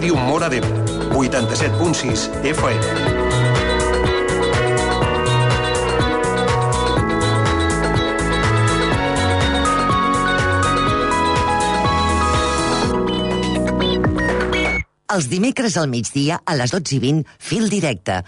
Ràdio Móra d'Ebre, 87.6 FM. Els dimecres al migdia, a les 12:20, Fil Directe.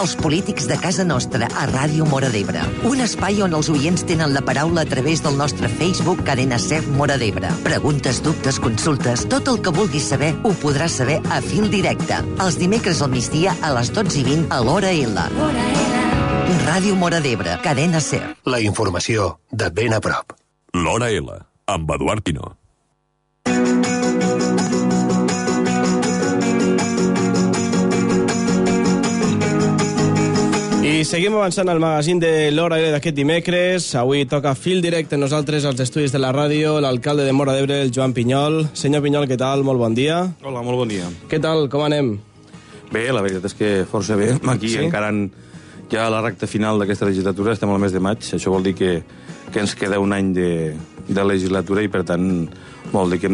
Els polítics de casa nostra, a Ràdio Móra d'Ebre. Un espai on els oients tenen la paraula a través del nostre Facebook Cadena SER Móra d'Ebre. Preguntes, dubtes, consultes, tot el que vulguis saber ho podràs saber a Fil Directe. Els dimecres al migdia, a les 12:20, a l'Hora L. Ràdio Móra d'Ebre, Cadena SER. La informació de ben a prop. L'Hora L, amb Eduard Quino. I seguim avançant al magazín de l'Hora L d'aquest dimecres. Avui toca Fil Directe nosaltres als estudis de la ràdio, l'alcalde de Móra d'Ebre, el Joan Pinyol. Senyor Pinyol, què tal? Molt bon dia. Hola, molt bon dia. Què tal? Com anem? Bé, la veritat és que força bé. Aquí encara ja a la recta final d'aquesta legislatura, estem al mes de maig. Això vol dir que ens queda un any de legislatura i, per tant, vol dir que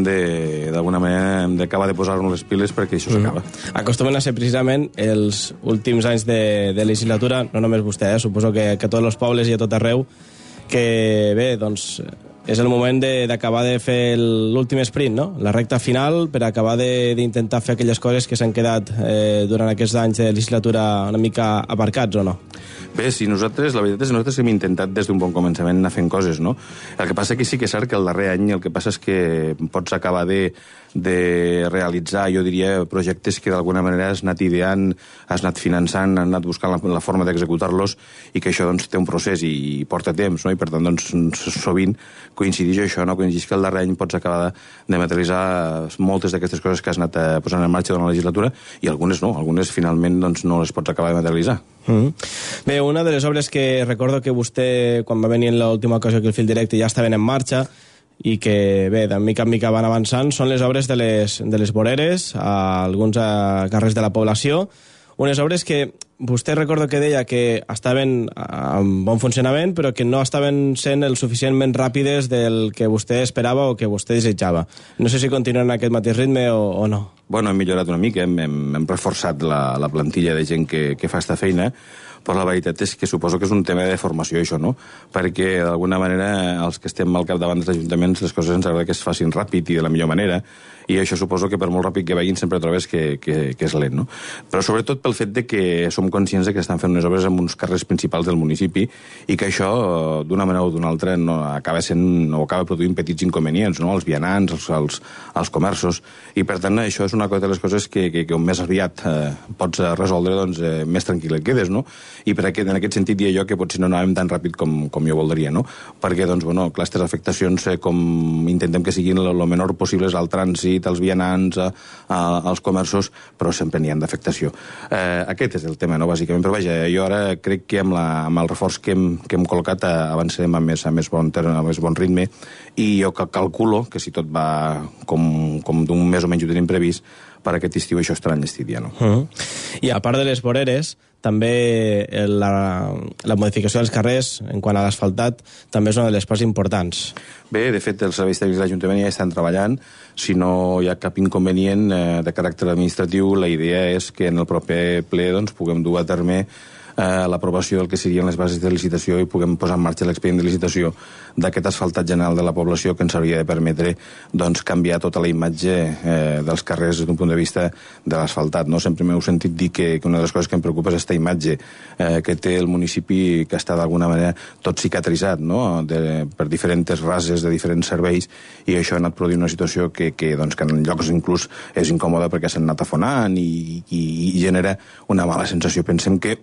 d'alguna manera hem d'acabar de posar-nos les piles perquè això s'acaba. Acostumen a ser precisament els últims anys de legislatura, no només vostè, suposo que a tots els pobles i a tot arreu, que bé, doncs és el moment d'acabar de fer l'últim sprint, no? La recta final per acabar d'intentar fer aquelles coses que s'han quedat durant aquests anys de legislatura una mica aparcats, o no? Bé, sí, la veritat és que nosaltres hem intentat des d'un bon començament anar fent coses, no? El que passa que sí que és cert que el darrer any el que passa és que pots acabar de realitzar, jo diria, projectes que d'alguna manera has anat ideant, has anat finançant, has anat buscant la forma d'executar-los i que això doncs, té un procés i porta temps, no? I per tant, doncs, sovint coincideix això, no? Coincideix que el darrer any pots acabar de materialitzar moltes d'aquestes coses que has anat posant en marxa durant la legislatura i algunes no, algunes finalment doncs, no les pots acabar de materialitzar. Bé, una de les obres que recordo que vostè, quan va venir en l'última ocasió que el Fil Directe, ja estaven en marxa i que, bé, de mica en mica van avançant, són les obres de les voreres a alguns carrers de la població. Unes obres que vostè recordo que deia que estaven en bon funcionament, però que no estaven sent el suficientment ràpides del que vostè esperava o que vostè desitjava. No sé si continuen en aquest mateix ritme o no. Bueno, hem millorat una mica, hem reforçat la plantilla de gent que fa aquesta feina, però la veritat és que suposo que és un tema de formació, això, no? Perquè, d'alguna manera, els que estem al capdavant dels ajuntaments, les coses ens agrada que es facin ràpid i de la millor manera, i això suposo que per molt ràpid que vagin sempre trobes que és lent, no? Però sobretot pel fet de que som conscients de que estan fent unes obres en uns carrers principals del municipi i que això, d'una manera o d'una altra, no acaba sent o acaba produint petits inconvenients, no? Els vianants, els comerços, i per tant això és una de les coses que més aviat pots resoldre, doncs més tranquil et quedes, no? I en aquest sentit diria jo que potser no anàvem tan ràpid com jo voldria, no? Perquè, doncs, bueno, clar, aquestes afectacions com intentem que siguin el menor possibles al trànsit, als vianants, als comerços, però sempre n'hi ha d'afectació. Aquest és el tema, no?, bàsicament. Però vaja, jo ara crec que amb el reforç que hem col·locat avançarem a més bon ritme i jo calculo que si tot va com d'un mes o menys ho tenim previst, per aquest estiu això estarà enllestit ja, no? I a part de les voreres, també la modificació dels carrers en quant a l'asfaltat també és una de les parts importants. Bé, de fet, els serveis tècnics de l'Ajuntament ja estan treballant. Si no hi ha cap inconvenient de caràcter administratiu, la idea és que en el proper ple doncs, puguem dur a terme l'aprovació del que serien les bases de licitació i puguem posar en marxa l'expedient de licitació d'aquest asfaltat general de la població que ens hauria de permetre doncs, canviar tota la imatge dels carrers d'un punt de vista de l'asfaltat. No? Sempre m'heu sentit dir que una de les coses que em preocupa és aquesta imatge que té el municipi que està d'alguna manera tot cicatritzat, no? Per diferents rases de diferents serveis i això ha anat produint una situació que en llocs inclús és incòmoda perquè s'han anat afonant i genera una mala sensació. Pensem que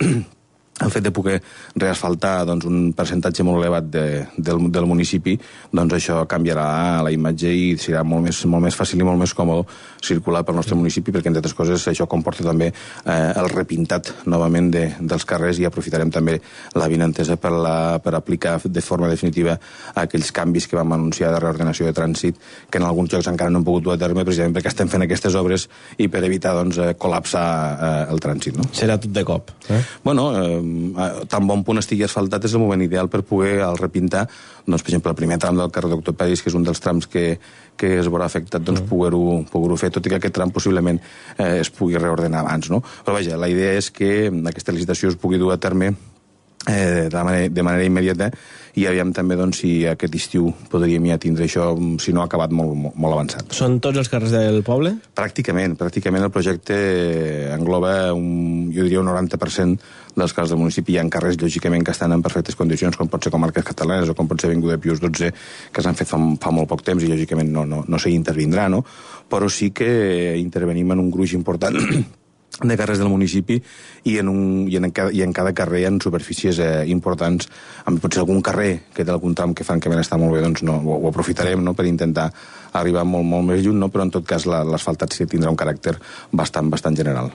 el fet de poder reasfaltar doncs, un percentatge molt elevat del municipi, doncs això canviarà la imatge i serà molt més fàcil i molt més còmode circular pel nostre municipi, perquè, entre altres coses, això comporta també el repintat novament dels carrers i aprofitarem també la vinentesa per aplicar de forma definitiva aquells canvis que vam anunciar de reordenació de trànsit, que en alguns llocs encara no hem pogut dur a terme, precisament perquè estem fent aquestes obres i per evitar doncs, col·lapsar el trànsit. No? Serà tot de cop. Bueno, tan bon punt estigui asfaltat és el moment ideal per poder al repintar, doncs, per exemple, el primer tram del carrer Doctor Peris, que és un dels trams que es veurà afectat, doncs poder-ho fer, tot i que aquest tram possiblement es pugui reordenar abans, no? Però vaja, la idea és que aquesta licitació es pugui dur a terme de manera immediata i aviam també doncs, si aquest estiu podríem ja tindre això, si no ha acabat molt avançat. Són tots els carrers del poble? Pràcticament el projecte engloba jo diria un 90% dels carrers del municipi. Hi ha carrers, lògicament, que estan en perfectes condicions, com pot ser Comarques Catalanes o com pot ser Avinguda Pius XII, que s'han fet fa molt poc temps i, lògicament, no s'hi intervindrà, no? Però sí que intervenim en un gruix important de carrers del municipi i en cada carrer hi ha superfícies importants. Potser algun carrer que té algun tram que francament està molt bé, doncs ho aprofitarem, no?, per intentar arribar molt més lluny, no? Però en tot cas l'asfaltat sí tindrà un caràcter bastant general.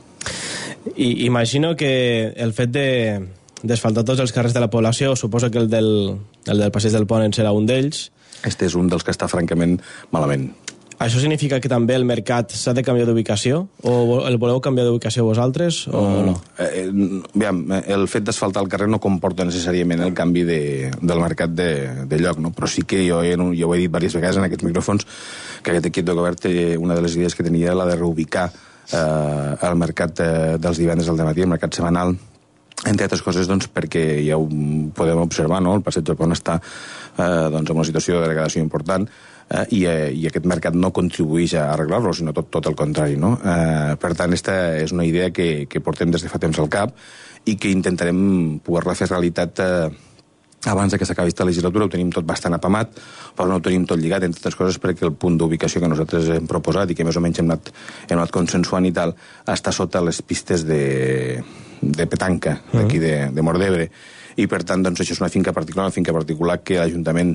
I imagino que el fet d'asfaltar tots els carrers de la població, suposo que el del Passeig del Pont en serà un d'ells. Este és un dels que està francament malament. Això significa que també el mercat s'ha de canviar d'ubicació? O el voleu canviar d'ubicació vosaltres o no? Aviam, el fet d'asfaltar el carrer no comporta necessàriament el canvi del mercat de lloc, no? Però sí que jo ho he dit diverses vegades en aquests micròfons que aquest equip de govern, una de les idees que tenia era la de reubicar el mercat dels divendres al dematí, el mercat setmanal, entre altres coses, doncs, perquè ja ho podem observar, no? El Passeig del Pont està en una situació de degradació important i aquest mercat no contribueix a arreglar-lo, sinó tot el contrari, no? Per tant, aquesta és una idea que portem des de fa temps al cap i que intentarem poder-la fer realitat abans que s'acabi aquesta legislatura. Ho tenim tot bastant apamat, però no ho tenim tot lligat, entre altres coses perquè el punt d'ubicació que nosaltres hem proposat i que més o menys hem anat consensuant i tal, està sota les pistes de petanca d'aquí de Móra d'Ebre, i per tant doncs, això és una finca particular que l'Ajuntament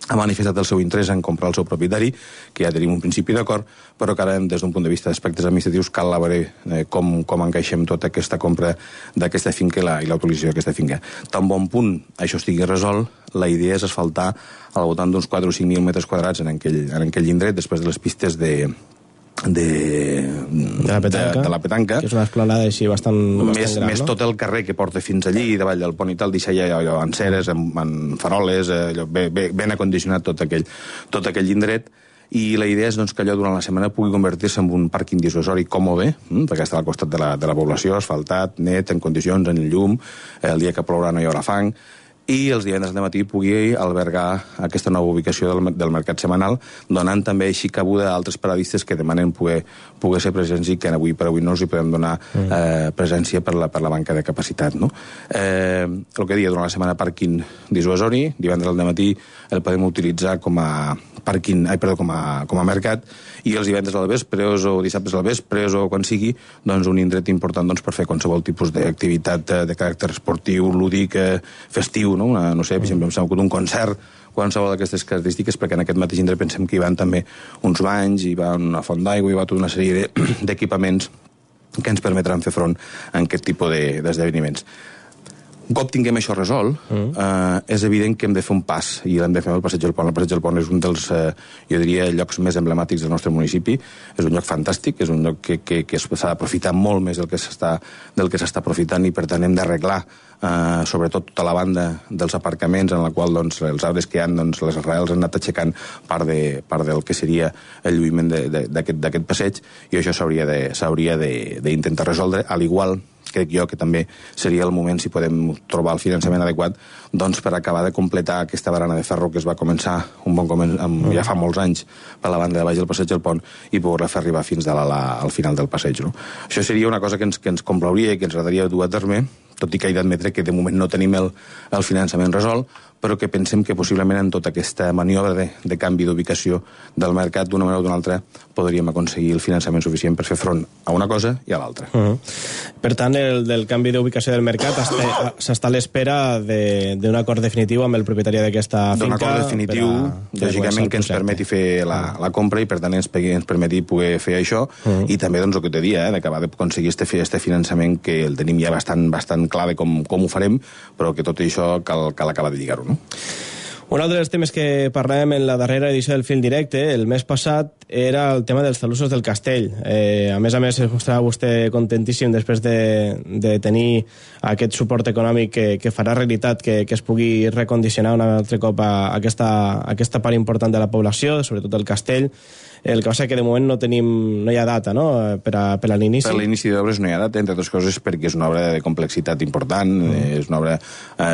ha manifestat el seu interès en comprar el seu propietari, que ja tenim un principi d'acord, però que ara, des d'un punt de vista d'aspectes administratius, cal veure com encaixem tota aquesta compra d'aquesta finca i l'autorització d'aquesta finca. Tan bon punt això estigui resolt, la idea és asfaltar al voltant d'uns 4 o 5.000 metres quadrats en aquell indret, després de les pistes de la petanca, que és una esplanada així bastant gran, més no? tot el carrer que porta fins allí, davall del pont i tal, deixar allò en ceres, en faroles, ben acondicionat tot aquell indret. I la idea és doncs, que allò durant la setmana pugui convertir-se en un pàrquing dissuasori còmode, perquè està al costat de la població, asfaltat, net, en condicions, en llum, el dia que plourà no hi haurà fang, i els divendres de matí pugui albergar aquesta nova ubicació del mercat setmanal, donant també així cabuda a altres paradistes que demanen poder ser presents i que avui per avui no els hi podem donar presència per la manca de capacitat, no? El que deia, durant la setmana pàrquing dissuasori, divendres al matí el podem utilitzar com a mercat, i els divendres al vespre o dissabtes al vespre o quan sigui, doncs un indret important per fer qualsevol tipus d'activitat de caràcter esportiu, lúdic, festiu, no sé, per exemple, un concert, qualsevol d'aquestes característiques, perquè en aquest mateix indret pensem que hi van també uns banys, hi va una font d'aigua, hi va tota una sèrie d'equipaments que ens permetran fer front a aquest tipus d'esdeveniments. Un cop tinguem això resolt, és evident que hem de fer un pas, i l'hem de fer al Passeig del Pont. El Passeig del Pont és un dels, jo diria, llocs més emblemàtics del nostre municipi. És un lloc fantàstic, és un lloc que s'ha d'aprofitar molt més del que s'està aprofitant, i per tant hem d'arreglar sobretot tota la banda dels aparcaments en la qual doncs, els arbres que hi ha, doncs, les arrels han anat aixecant part del que seria el lluïment d'aquest passeig, i això s'hauria d'intentar resoldre, al igual crec jo que també seria el moment, si podem trobar el finançament adequat, doncs per acabar de completar aquesta barana de ferro que es va començar ja fa molts anys per la banda de baix del Passeig del Pont, i poder-la fer arribar fins al final del passeig, no? Això seria una cosa que ens complauria i que ens agradaria dur a terme, tot i que he d'admetre que de moment no tenim el finançament resolt, però que pensem que possiblement en tota aquesta maniobra de canvi d'ubicació del mercat, d'una manera o d'una altra, podríem aconseguir el finançament suficient per fer front a una cosa i a l'altra. Per tant, del canvi d'ubicació del mercat s'està a l'espera d'un acord definitiu amb el propietari d'aquesta finca. D'un acord definitiu, lògicament, que ens permeti fer la compra i, per tant, ens permeti poder fer això, i també, doncs, el que t'he dit, d'acabar d'aconseguir este finançament, que el tenim ja bastant clar de com ho farem, però que tot això cal acabar de lligar-ho, no? Un altre dels temes que parlàvem en la darrera edició del Fil Directe, el mes passat, era el tema dels talussos del castell. A més, es mostrava vostè contentíssim després de tenir aquest suport econòmic que farà realitat que es pugui recondicionar un altre cop a aquesta part important de la població, sobretot el castell. El que passa que de moment no hi ha data, no?, per a l'inici. Per l'inici d'obres no hi ha data, entre altres coses perquè és una obra de complexitat important, és una obra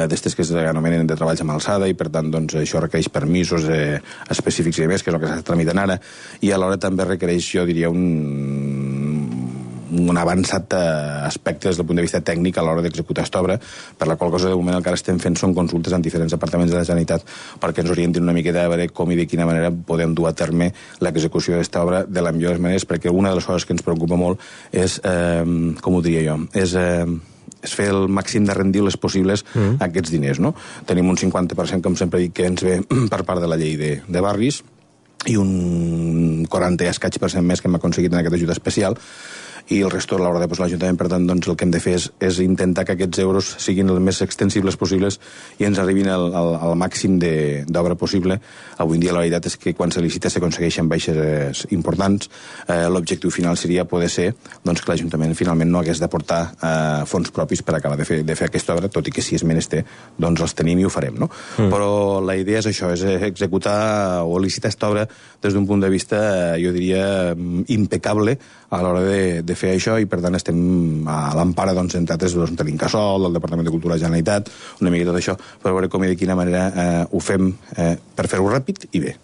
d'estes que s'anomenen de treballs amb alçada, i per tant doncs, això requereix permisos específics i més, que és el que s'està tramitant ara, i alhora també requereix, jo diria, un avançat aspecte des del punt de vista tècnic a l'hora d'executar aquesta obra, per la qual cosa de moment el que ara estem fent són consultes en diferents departaments de la Generalitat perquè ens orientin una miqueta a veure com i de quina manera podem dur a terme l'execució d'aquesta obra de la millor de les maneres, perquè una de les coses que ens preocupa molt és, com ho diria jo, és fer el màxim de rendibles possibles a aquests diners, no? Tenim un 50%, com sempre dic, que ens ve per part de la llei de barris, i un 40 i escaig % més que hem aconseguit en aquest ajut especial, i el resto l'haurà de posar l'Ajuntament. Per tant, doncs, el que hem de fer és intentar que aquests euros siguin els més extensibles possibles i ens arribin al màxim d'obra possible. Avui en dia la veritat és que quan se licita s'aconsegueixen baixes importants. L'objectiu final seria poder ser doncs, que l'Ajuntament finalment no hagués d'aportar fons propis per acabar de fer aquesta obra, tot i que si és menester doncs els tenim i ho farem, no? Però la idea és això, és executar o licitar aquesta obra des d'un punt de vista, jo diria, impecable a l'hora de fer això, i per tant estem a l'empara, doncs, entre altres, de l'Incasòl, del Departament de Cultura de la Generalitat, una mica tot això, per veure com i de quina manera ho fem per fer-ho ràpid i bé.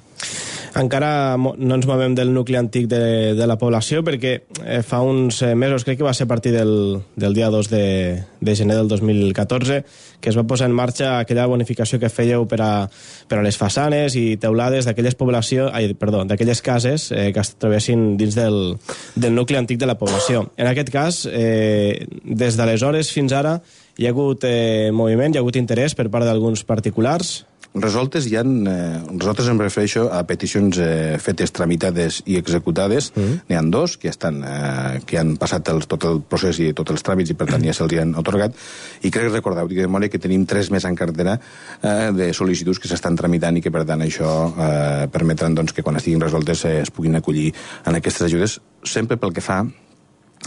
Encara no ens movem del nucli antic de la població, perquè fa uns mesos, crec que va ser a partir del dia 2 de gener del 2014, que es va posar en marxa aquella bonificació que fèieu per a les façanes i teulades d'aquelles cases que es trobessin dins del nucli antic de la població. En aquest cas, des d'aleshores fins ara, hi ha hagut moviment, hi ha hagut interès per part d'alguns particulars. Resoltes nosaltres em refereixo a peticions fetes, tramitades i executades. N'hi ha dos que han passat tot el procés i tots els tràmits i per tant ja se'ls han atorgat, i crec recordar de memòria que tenim 3 més en cartera de sol·licituds que s'estan tramitant i que per tant això permetran doncs, que quan estiguin resoltes es puguin acollir en aquestes ajudes, sempre pel que fa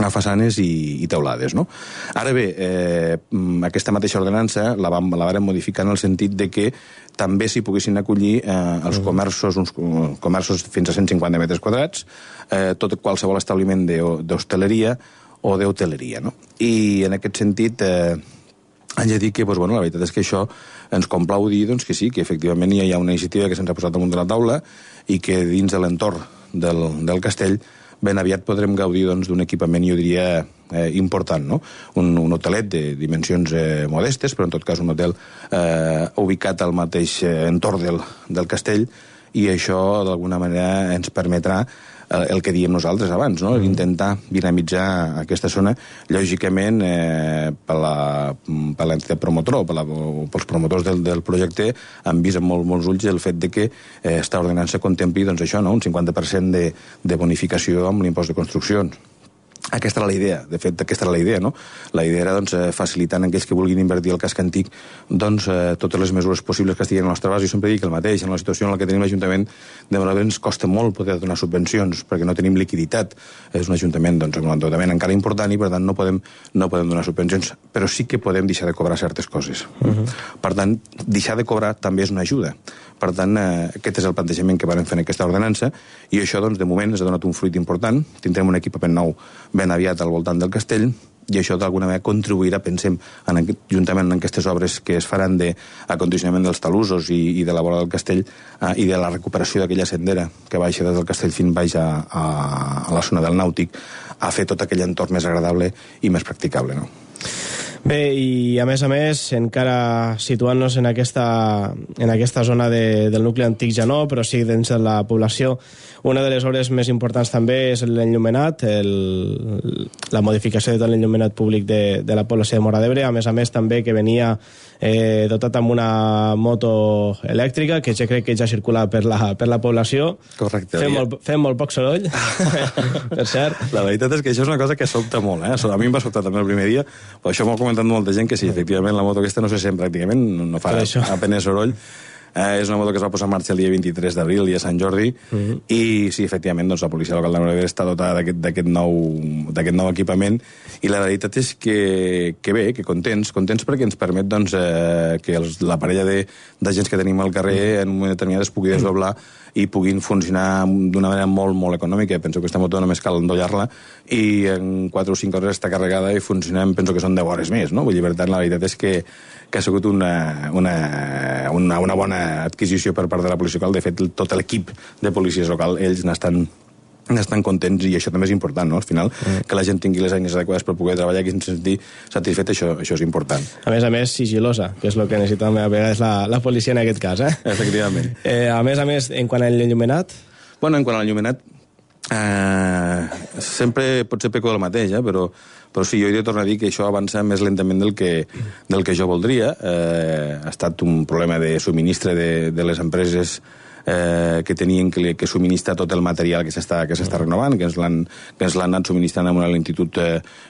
a façanes i teulades, no? Ara bé, aquesta mateixa ordenança la vàrem modificar en el sentit de que també s'hi poguessin acollir els comerços, uns comerços fins a 150 metres quadrats, tot qualsevol establiment d'hostaleria o d'hoteleria, no? I en aquest sentit haig de dir que la veritat és que això ens complau dir que sí, que efectivament hi ha una iniciativa que se'ns ha posat damunt de la taula i que dins de l'entorn del castell ben aviat podrem gaudir d'un equipament, jo diria, important, no? Un hotelet de dimensions modestes, però en tot cas un hotel ubicat al mateix entorn del castell, i això d'alguna manera ens permetrà el que diem nosaltres abans, no? Intentar dinamitzar aquesta zona, lògicament per l'entitat promotora o pels promotors del projecte han vist amb molts ulls el fet de que esta ordenança contempli un 50% de bonificació amb l'impost de construccions. Aquesta era la idea, de fet, aquesta era la idea, no? La idea era facilitar a aquells que vulguin invertir al casc antic totes les mesures possibles que estiguin al nostre abast. Jo sempre dic el mateix, en la situació en la que tenim l'Ajuntament, de vegades ens costa molt poder donar subvencions, perquè no tenim liquiditat. És un Ajuntament amb un endeutament encara important i, per tant, no podem donar subvencions, però sí que podem deixar de cobrar certes coses. Per tant, deixar de cobrar també és una ajuda. Per tant, aquest és el plantejament que vam fer en aquesta ordenança, i això, de moment, ens ha donat un fruit important. Tindrem un equipament nou ben aviat al voltant del castell, i això d'alguna manera contribuirà, pensem, juntament amb aquestes obres que es faran d'acondicionament dels talussos i de la vora del castell i de la recuperació d'aquella sendera que baixa des del castell fins baix a la zona del Nàutic, a fer tot aquell entorn més agradable i més practicable, no? Bé, i a més, encara situant-nos en aquesta zona del nucli antic ja no, però sí dins de la població, una de les obres més importants també és l'enllumenat, la modificació de tot l'enllumenat públic de la població de Móra d'Ebre, a més també que venia dotat amb una moto elèctrica, que ja crec que ja circula per la població. Correcte. Fem molt poc soroll, per cert. La veritat és que això és una cosa que sobta molt, A mi em va sobtar també el primer dia, però això m'ho ha comentat molta gent, que sí, efectivament la moto aquesta no se sent pràcticament, no fa apenas soroll. És una moto que es va posar en marxa el dia 23 d'abril, dia Sant Jordi, i sí, efectivament, doncs, la policia local de Móra d'Ebre està dotada d'aquest nou equipament, i la veritat és que bé, que contents perquè ens permet doncs, que la parella d'agents que tenim al carrer en un moment determinat es pugui desdoblar i puguin funcionar d'una manera molt, molt econòmica. Penso que aquesta moto només cal endollar-la i en 4 o 5 hores està carregada i funcionem, penso que són 10 hores més, no? Vull dir, per tant, la veritat és que ha sigut una bona adquisició per part de la policia local. De fet, tot l'equip de policies local, ells n'estan contents, i això també és important, no? Al final, que la gent tingui les eines adequades per poder treballar i sentir satisfet, això és important. A més, sigilosa, que és el que necessita a vegades la policia en aquest cas, eh? Efectivament. A més, en quant a l'enllumenat? Bueno, en quant a l'enllumenat, sempre pot ser peco del mateix, però sí, jo he de tornar a dir que això avança més lentament del que jo voldria. Ha estat un problema de subministre de les empreses que tenien que subministrar tot el material que s'està renovant, que ens l'han anat subministrant amb una lentitud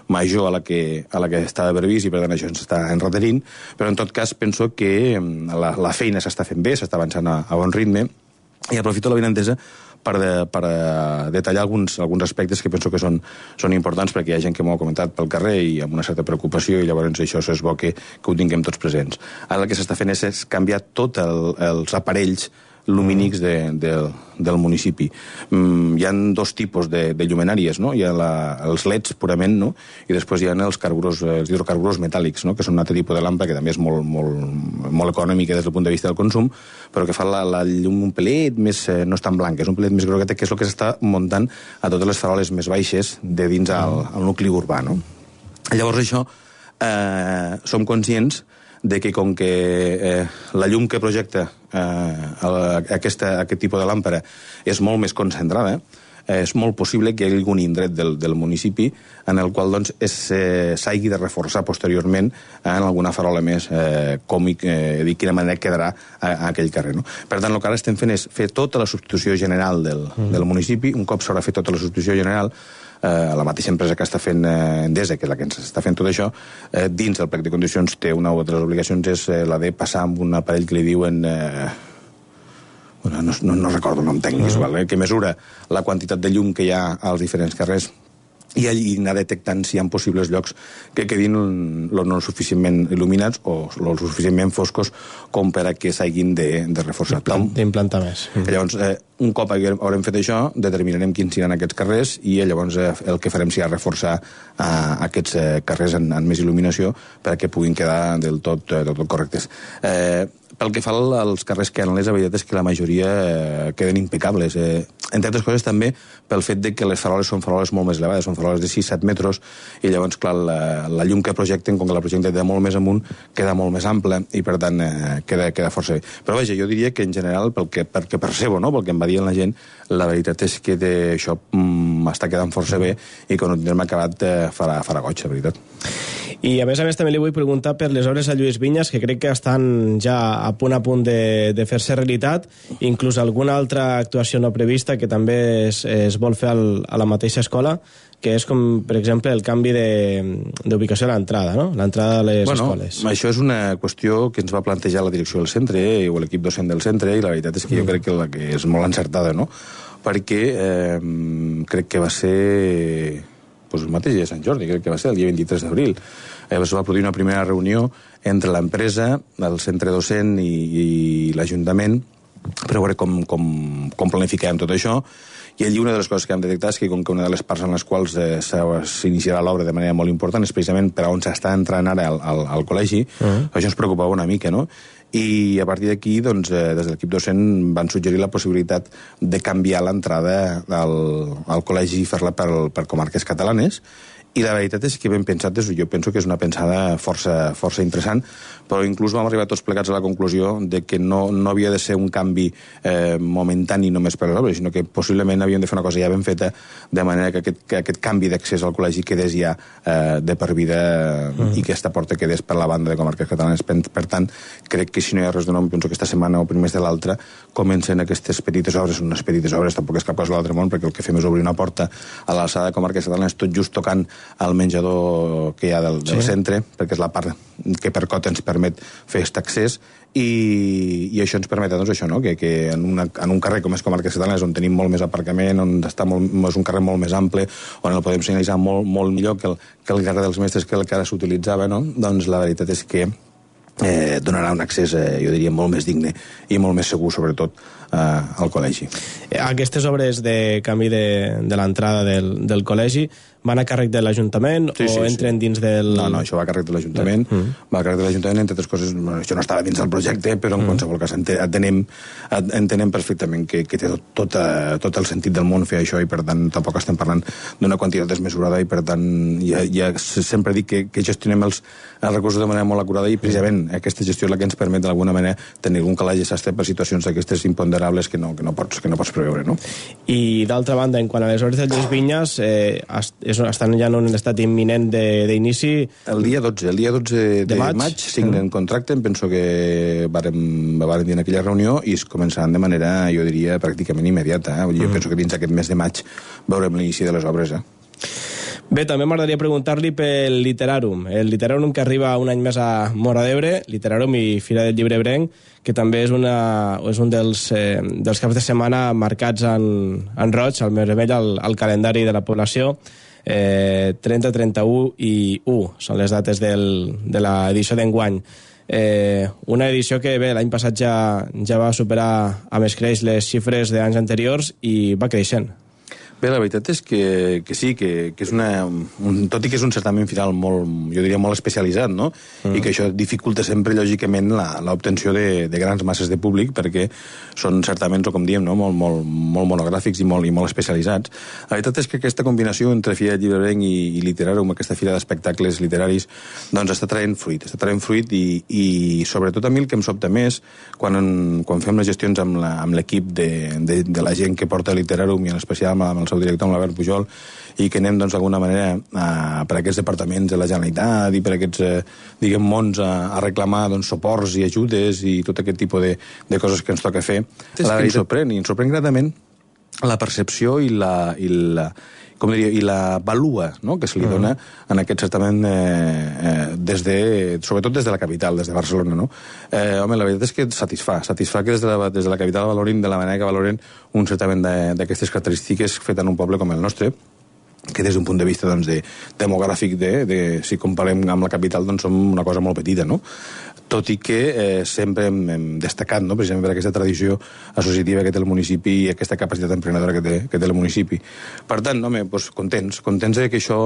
major a la que estava previst, i per tant això ens està enreterint, però en tot cas penso que la feina s'està fent bé, s'està avançant a bon ritme, i aprofito la benentesa per detallar alguns aspectes que penso que són importants, perquè hi ha gent que m'ho ha comentat pel carrer i amb una certa preocupació, i llavors això és bo que ho tinguem tots presents. Ara el que s'està fent és canviar tots els aparells lumínics del municipi. Hi ha 2 tipus de llumenàries, no? Hi ha els LEDs purament, no? I després hi ha els hidrocarburs metàl·lics, no? Que són un altre tipus de làmpara que també és molt econòmica des del punt de vista del consum, però que fa la llum un pelet més, no és tan blanca, és un pelet més grogueta, que és el que s'està muntant a totes les faroles més baixes de dins al nucli urbà, no? Llavors això, som conscients de que com que la llum que projecta aquest tipus de làmpara és molt més concentrada, és molt possible que hi hagi algun indret del municipi en el qual doncs, s'hagi de reforçar posteriorment en alguna farola més còmic, de quina manera quedarà a aquell carrer. No? Per tant, el que ara estem fent és fer tota la substitució general del municipi. Un cop s'haurà fet tota la substitució general, la mateixa empresa que està fent Endesa, que és la que ens està fent tot això, dins del plec de condicions té una de les obligacions, és la de passar amb un aparell que li diuen... no recordo el nom tècnic, que mesura la quantitat de llum que hi ha als diferents carrers i allí anar detectant si hi ha possibles llocs que quedin no suficientment il·luminats o suficientment foscos com per a que s'hagin de reforçar. D'implantar més. Llavors, un cop haurem fet això, determinarem quins seran aquests carrers i llavors el que farem serà reforçar aquests carrers amb més il·luminació perquè puguin quedar del tot correctes. Pel que fa als carrers que la veritat és que la majoria queden impecables. Entre altres coses també pel fet de que les faroles són faroles molt més elevades, són faroles de 6-7 metres, i llavors, clar, la llum que projecten, com que la projecten de molt més amunt, queda molt més ampla i, per tant, queda força bé. Però, vaja, jo diria que, en general, pel que percebo, no?, pel que em va dient la gent, la veritat és que això està quedant força bé i quan ho tindrem acabat farà goig, la veritat. I a més també li vull preguntar per les obres a Lluís Vinyes, que crec que estan ja a punt de fer-se realitat, inclús alguna altra actuació no prevista que també es vol fer a la mateixa escola, que és com, per exemple, el canvi d'ubicació a l'entrada, no? L'entrada a les escoles. Això és una qüestió que ens va plantejar la direcció del centre o l'equip docent del centre, i la veritat és que jo crec que la que és molt encertada, no? Perquè crec que va ser... el mateix dia de Sant Jordi, crec que va ser el dia 23 d'abril. Es va produir una primera reunió entre l'empresa, el centre docent i l'Ajuntament per veure com planificàvem tot això, i allí una de les coses que hem detectat és que com que una de les parts en les quals s'iniciarà l'obra de manera molt important és precisament per on s'està entrant ara al col·legi, això ens preocupava una mica, no? I a partir d'aquí, doncs, des de l'equip docent van suggerir la possibilitat de canviar l'entrada al col·legi i fer-la per comarques catalanes, i la veritat és que ben pensat, jo penso que és una pensada força interessant, però inclús vam arribar tots plegats a la conclusió de que no havia de ser un canvi momentani només per les obres, sinó que possiblement havíem de fer una cosa ja ben feta, de manera que aquest canvi d'accés al col·legi quedés ja de per vida i que aquesta porta quedés per la banda de comarques catalanes. Per tant, crec que si no hi ha res de nou, penso que aquesta setmana o primers de l'altra comencen aquestes petites obres, unes petites obres, tampoc és cap cosa de l'altre món, perquè el que fem és obrir una porta a l'alçada de comarques catalanes, tot just tocant al menjador que hi ha del centre, perquè és la part que per cota ens permet fer aquest accés, i això ens permet, doncs, això, no? que en un carrer com és Comarques Catalanes, on tenim molt més aparcament, on és un carrer molt més ample, on el podem senyalitzar molt millor que el carrer dels Mestres, que el que ara s'utilitzava, no? Doncs la veritat és que donarà un accés, jo diria, molt més digne i molt més segur, sobretot, al col·legi. Aquestes obres de canvi de l'entrada del col·legi van a càrrec de l'Ajuntament o entren dins del... No, això va a càrrec de l'Ajuntament. Va a càrrec de l'Ajuntament, entre altres coses, això no estava dins del projecte, però en qualsevol cas entenem perfectament que té tot el sentit del món fer això, i per tant tampoc estem parlant d'una quantitat desmesurada, i per tant ja sempre dic que gestionem els recursos de manera molt acurada, i precisament aquesta gestió és la que ens permet d'alguna manera tenir un calaix sastre per situacions d'aquestes imponderables que no pots preveure, no? I d'altra banda, en quant a les obres del Lluís Vinyes, estan ja en un estat imminent d'inici. El dia 12 de maig signen contracte, em penso que vàrem dir en aquella reunió, i es començaran de manera, jo diria, pràcticament immediata. Jo penso que dins aquest mes de maig veurem l'inici de les obres. Bé, també m'agradaria preguntar-li pel Literàrum. El Literàrum que arriba un any més a Móra d'Ebre, Literàrum i Fira del Llibre Ebrenc, que també és un dels caps de setmana marcats en roig, al més vermell, al calendari de la població. 30, 31 i 1 són les dates de l'edició d'enguany. Una edició que, bé, l'any passat ja va superar amb escreix les xifres d'anys anteriors i va creixent. Bé, la veritat és que sí, que és tot i que és un certamen final molt, jo diria, molt especialitzat, no? I que això dificulta sempre, lògicament, l'obtenció de grans masses de públic, perquè són certaments, o com diem, no? molt monogràfics i molt especialitzats. La veritat és que aquesta combinació entre Fira del Llibre Ebrenc i Literàrum, aquesta fira d'espectacles literaris, doncs està traient fruit, i sobretot a mi el que em sobta més, quan fem les gestions amb l'equip de la gent que porta Literàrum, i en especial amb el seu director, amb l'Albert Pujol, i que anem, doncs, d'alguna manera per aquests departaments de la Generalitat i per aquests, mons a reclamar, doncs, suports i ajudes i tot aquest tipus de coses que ens toca fer. La veritat, ens sorprèn gratament la percepció i la valua, no?, que se li dona en aquest certament, sobretot des de la capital, des de Barcelona, no? Home, la veritat és que satisfà que des de la capital valorin de la manera que valoren un certament d'aquestes característiques fet en un poble com el nostre, que des d'un punt de vista, doncs, demogràfic, si comparem amb la capital, doncs som una cosa molt petita, no? Tot i que sempre hem destacat, no?, precisament per aquesta tradició associativa que té el municipi i aquesta capacitat emprenedora que té el municipi. Per tant, home, doncs, contents que això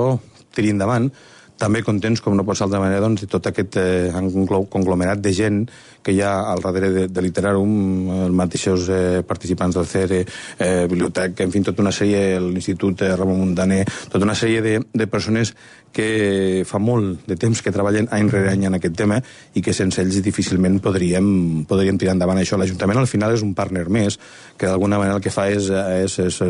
tiri endavant. També contents, com no pot ser d'altra manera, doncs, de tot aquest conglomerat de gent que hi ha al darrere de Literàrum, els mateixos participants del CERE, biblioteca, en fi, tota una sèrie, l'Institut Ramon Muntaner, tota una sèrie de persones que fa molt de temps que treballen any rere any en aquest tema, i que sense ells difícilment podríem tirar endavant això. L'Ajuntament al final és un partner més, que d'alguna manera el que fa és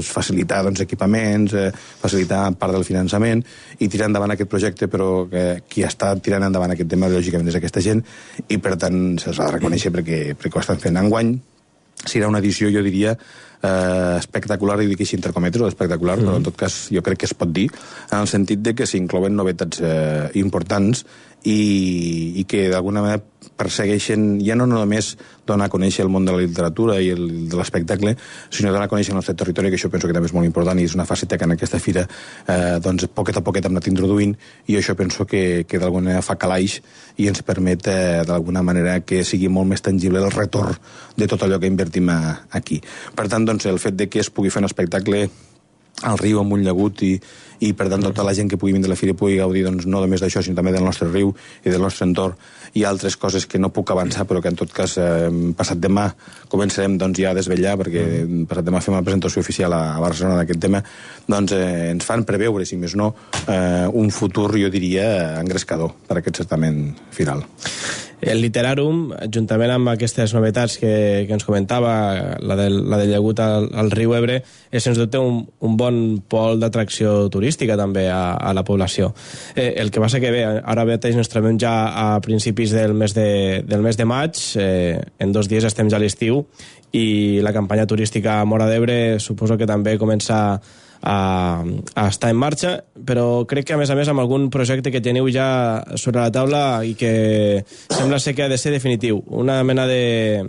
facilitar, doncs, equipaments, facilitar part del finançament i tirar endavant aquest projecte, però qui està tirant endavant aquest tema, lògicament, és aquesta gent, i per tant se'ls ha de reconèixer perquè ho estan fent. Enguany serà una edició, jo diria, espectacular, i dic així entre cometes, espectacular, però en tot cas jo crec que es pot dir, en el sentit de que s'inclouen novetats importants i que d'alguna manera persegueixen ja no només donar a conèixer el món de la literatura i de l'espectacle, sinó donar a conèixer el nostre territori, que això penso que també és molt important, i és una faceta que en aquesta fira doncs poquet a poquet hem anat introduint, i això penso que d'alguna manera fa calaix i ens permet d'alguna manera que sigui molt més tangible el retorn de tot allò que invertim aquí. Per tant, doncs, el fet de que es pugui fer un espectacle al riu amb un llagut i per tant tota la gent que pugui vindre a la fira pugui gaudir, doncs, no només d'això, sinó també del nostre riu i del nostre entorn, i altres coses que no puc avançar, però que en tot cas passat demà començarem, doncs, ja a desvetllar, perquè passat demà fem una presentació oficial a Barcelona d'aquest tema, doncs ens fan preveure, si més no, un futur, jo diria, engrescador per aquest certamen final. El Literàrum, juntament amb aquestes novetats que ens comentava, la del llagut al riu Ebre, és sens dubte un bon pol d'atracció turística també a la població. El que passa que bé, ara mateix ens trobem ja a principis del mes de maig, en 2 dies estem ja a l'estiu, i la campanya turística a Móra d'Ebre suposo que també comença a estar en marxa, però crec que a més amb algun projecte que teniu ja sobre la taula i que sembla ser que ha de ser definitiu, una mena de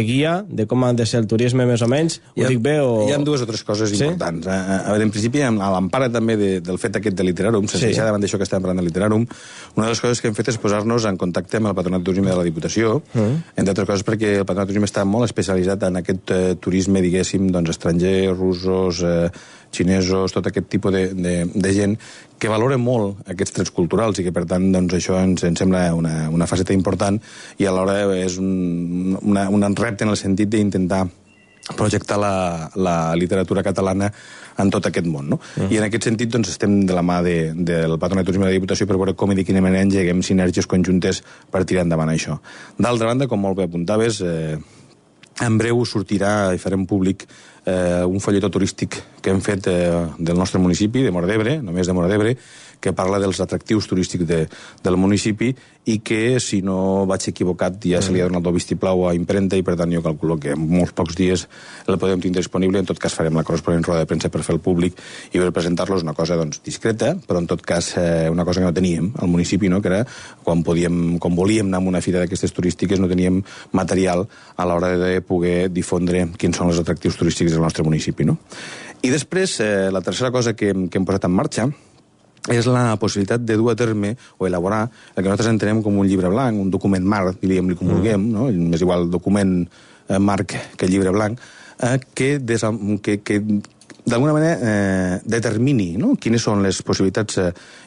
guia de com ha de ser el turisme més o menys. Ho dic bé o... Hi ha dues o tres coses importants. A veure, en principi, a l'empara també del fet aquest de Literàrum, sense deixar davant d'això que estem parlant de Literàrum, una de les coses que hem fet és posar-nos en contacte amb el Patronat de Turisme de la Diputació, entre altres coses perquè el Patronat de Turisme està molt especialitzat en aquest turisme, diguéssim, doncs, estrangers, russos, xinesos, tot aquest tipus de gent que valora molt aquests trets culturals i que, per tant, doncs, això ens sembla una faceta important i alhora és un repte en el sentit d'intentar projectar la literatura catalana en tot aquest món, no? I en aquest sentit doncs, estem de la mà del Patronat de Turisme de la Diputació per veure com i de quina manera engeguem sinergies conjuntes per tirar endavant això. D'altra banda, com molt bé apuntaves, en breu sortirà i farem públic un folletó turístic que hem fet del nostre municipi, de Móra d'Ebre, només de Móra d'Ebre, que parla dels atractius turístics del municipi i que, si no vaig equivocat, ja se li ha donat el vistiplau a impremta i, per tant, jo calculo que en molts pocs dies el podem tindre disponible. En tot cas, farem la corresponent roda de premsa per fer el públic i per presentar-los una cosa doncs, discreta, però en tot cas una cosa que no teníem al municipi, no? Que era quan volíem anar a una fira d'aquestes turístiques no teníem material a l'hora de poder difondre quins són els atractius turístics del nostre municipi, no? I després, la tercera cosa que hem posat en marxa és la possibilitat de dur a terme o elaborar el que nosaltres entenem com un llibre blanc, un document marc, diríem-li com vulguem, no? Més igual document marc que llibre blanc, que d'alguna manera determini, no? Quines són les possibilitats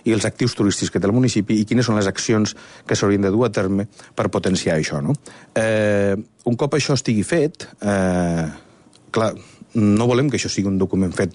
i els actius turístics que té el municipi i quines són les accions que s'haurien de dur a terme per potenciar això, no? Un cop això estigui fet, clar, no volem que això sigui un document fet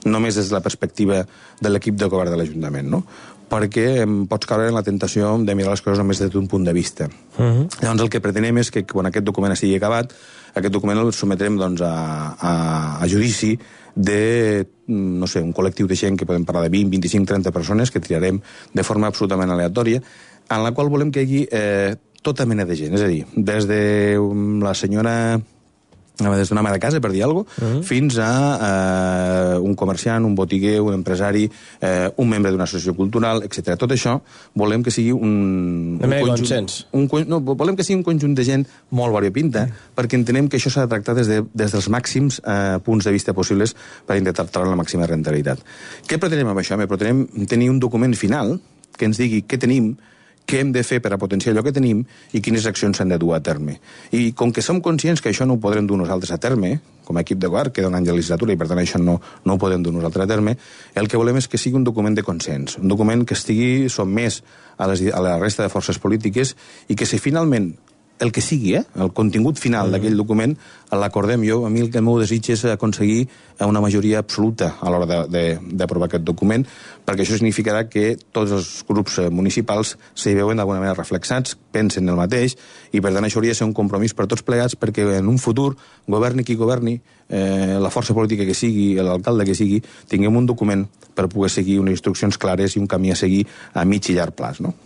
només des de la perspectiva de l'equip de govern de l'Ajuntament, no? Perquè pots caure en la tentació de mirar les coses només des d'un punt de vista. Llavors el que pretenem és que quan aquest document estigui acabat, aquest document el sometrem doncs, a judici de, no sé, un col·lectiu de gent que podem parlar de 20, 25, 30 persones que triarem de forma absolutament aleatòria, en la qual volem que hi hagi tota mena de gent, és a dir, des de la senyora... des d'una ama de casa, per dir alguna cosa, fins a un comerciant, un botiguer, un empresari, un membre d'una associació cultural, etc. Tot això volem que sigui un consens. Volem que sigui un conjunt de gent molt variopinta, perquè entenem que això s'ha de tractar des dels màxims punts de vista possibles per intentar treure la màxima rentabilitat. Què pretenem amb això? Pretenem tenir un document final que ens digui què tenim, què hem de fer per a potenciar allò que tenim i quines accions s'han de dur a terme. I com que som conscients que això no ho podrem dur nosaltres a terme, com a equip de govern, queda un any de legislatura i per tant això no ho podem dur nosaltres a terme, el que volem és que sigui un document de consens, un document que estigui sotmès a la resta de forces polítiques i que si finalment el que sigui, el contingut final d'aquell document, l'acordem jo. A mi el meu desig és aconseguir una majoria absoluta a l'hora d'aprovar aquest document, perquè això significarà que tots els grups municipals s'hi veuen d'alguna manera reflexats, pensen el mateix, i per tant això hauria de ser un compromís per tots plegats perquè en un futur, governi qui governi, la força política que sigui, l'alcalde que sigui, tinguem un document per poder seguir unes instruccions clares i un camí a seguir a mig i llarg plaç, no?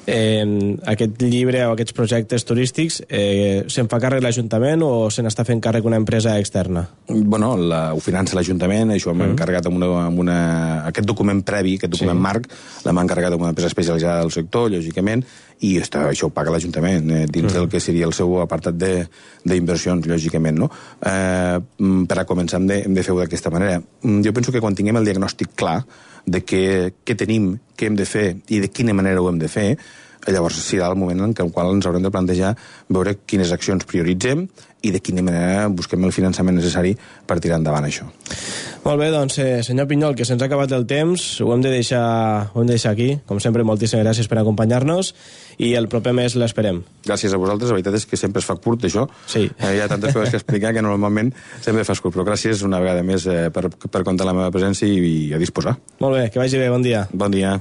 Aquest llibre o aquests projectes turístics se'n fa càrrec l'Ajuntament o se n'està fent càrrec una empresa externa? Bueno, ho finança l'Ajuntament, això hem encarregat amb aquest document previ, aquest document marc, l'hem encarregat amb una empresa especialitzada del sector, lògicament, i això ho paga l'Ajuntament dins del que seria el seu apartat d'inversions, lògicament, no? Per a començar hem de fer-ho d'aquesta manera. Jo penso que quan tinguem el diagnòstic clar de què tenim, què hem de fer i de quina manera ho hem de fer, llavors serà el moment en el qual ens haurem de plantejar veure quines accions prioritzem i de quina manera busquem el finançament necessari per tirar endavant això. Molt bé, doncs, senyor Pinyol, que se'ns ha acabat el temps, ho hem de deixar aquí. Com sempre, moltíssimes gràcies per acompanyar-nos i el proper mes l'esperem. Gràcies a vosaltres, la veritat és que sempre es fa curt, això. Sí. Hi ha tantes coses que explicar que normalment sempre fas curt, però gràcies una vegada més per comptar la meva presència i a disposar. Molt bé, que vagi bé, bon dia. Bon dia.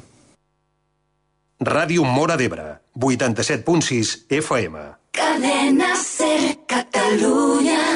Ràdio Móra d'Ebre, 87.6 FM. Cadena Ser Catalunya.